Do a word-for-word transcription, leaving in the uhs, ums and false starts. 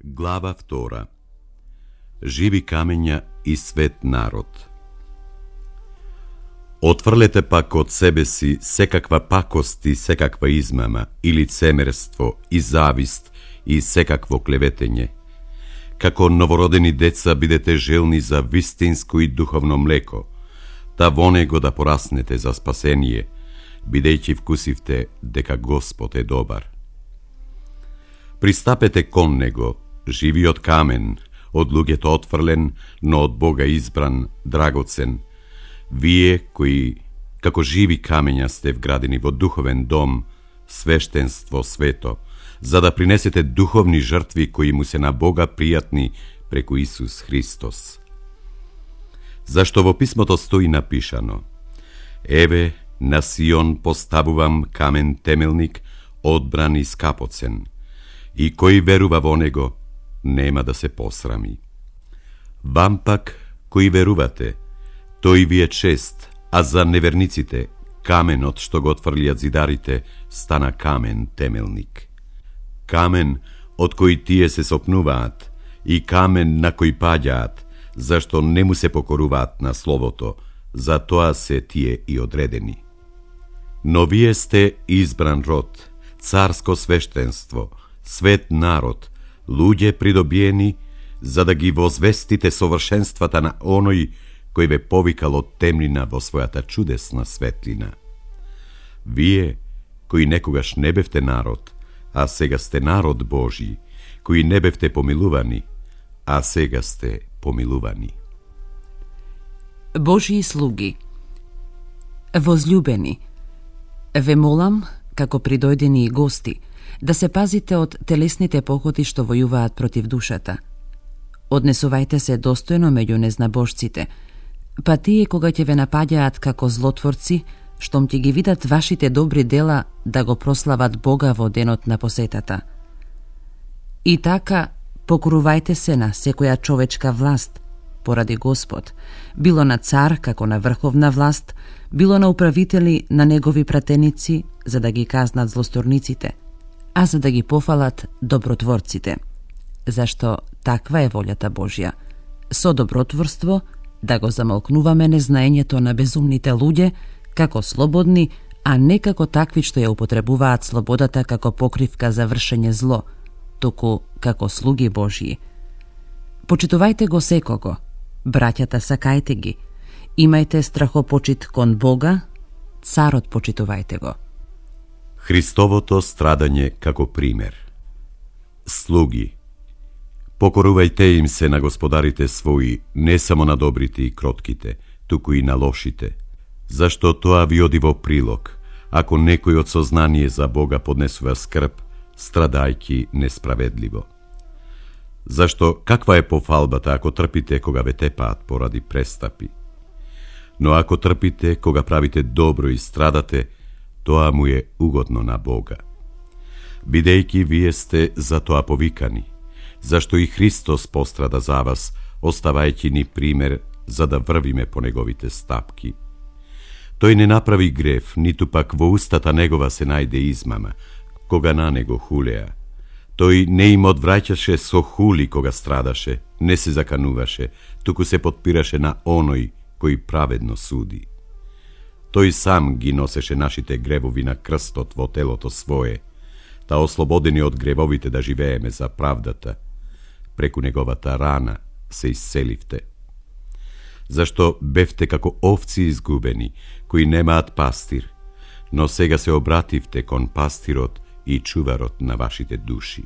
Глава втора. Живи камења и свет народ. Отврлете пак од себе си секаква пакост и секаква измама и лицемерство и завист и секакво клеветење. Како новородени деца бидете желни за вистинско и духовно млеко, та во него да пораснете за спасение, бидејќи вкусивте дека Господ е добар. Пристапете кон него, живиот камен, од луѓето отфрлен, но од Бога избран, драгоцен, вие кои, како живи камења сте вградени во духовен дом, свештенство свето, за да принесете духовни жртви кои му се на Бога пријатни преку Исус Христос. Зашто во писмото стои напишано: Еве, на Сион поставувам камен темелник, одбран и скапоцен, и кој верува во него, нема да се посрами. Вам пак, кои верувате, тој ви е чест, а за неверниците, каменот што го отфрлиат зидарите, стана камен темелник. Камен од кој тие се сопнуваат, и камен на кој паѓаат, зашто не му се покоруваат на словото, за тоа се тие и одредени. Но вие сте избран род, царско свештенство, свет народ, луѓе придобиени, за да ги возвестите совршенствата на оној кој ве повикал од темнина во својата чудесна светлина. Вие, кои некогаш не бевте народ, а сега сте народ Божи, кои не бевте помилувани, а сега сте помилувани. Божии слуги, возлюбени, ве молам, како придојдени и гости, да се пазите од телесните походи што војуваат против душата. Однесувајте се достојно меѓу незнабожците, па тие кога ќе ве напаѓаат како злотворци, штом ќе ги видат вашите добри дела, да го прослават Бога во денот на посетата. И така, покорувајте се на секоја човечка власт, поради Господ, било на цар како на врховна власт, било на управители на негови пратеници, за да ги казнат злосторниците, а за да ги пофалат добротворците. Зашто таква е волјата Божја, со добротворство да го замолкнуваме незнаењето на безумните луѓе, како слободни, а не како такви што ја употребуваат слободата како покривка за вршење зло, туку како слуги Божји. Почитувајте го секого, браќата сакајте ги, имајте страхопочит кон Бога, царот почитувајте го. Христовото страдање како пример. Слуги, покорувајте им се на господарите своји, не само на добрите и кротките, туку и на лошите, зашто тоа ви оди во прилог, ако некој од сознание за Бога поднесува скрб, страдајки несправедливо. Зашто каква е пофалбата ако трпите кога ве тепаат поради престапи? Но ако трпите кога правите добро и страдате, тоа му е угодно на Бога. Бидејќи вие сте за тоа повикани, зашто и Христос пострада за вас, оставајќи ни пример за да врвиме по неговите стапки. Тој не направи грев, ниту пак во устата негова се најде измама, кога на него хулеа. Тој не им одвраќаше со хули кога страдаше, не се закануваше, туку се подпираше на оној кој праведно суди. Тој сам ги носеше нашите гревови на крстот во телото свое, та ослободени од гревовите да живееме за правдата, преку неговата рана се исцеливте. Зашто бевте како овци изгубени, кои немаат пастир, но сега се обративте кон пастирот и чуварот на вашите души.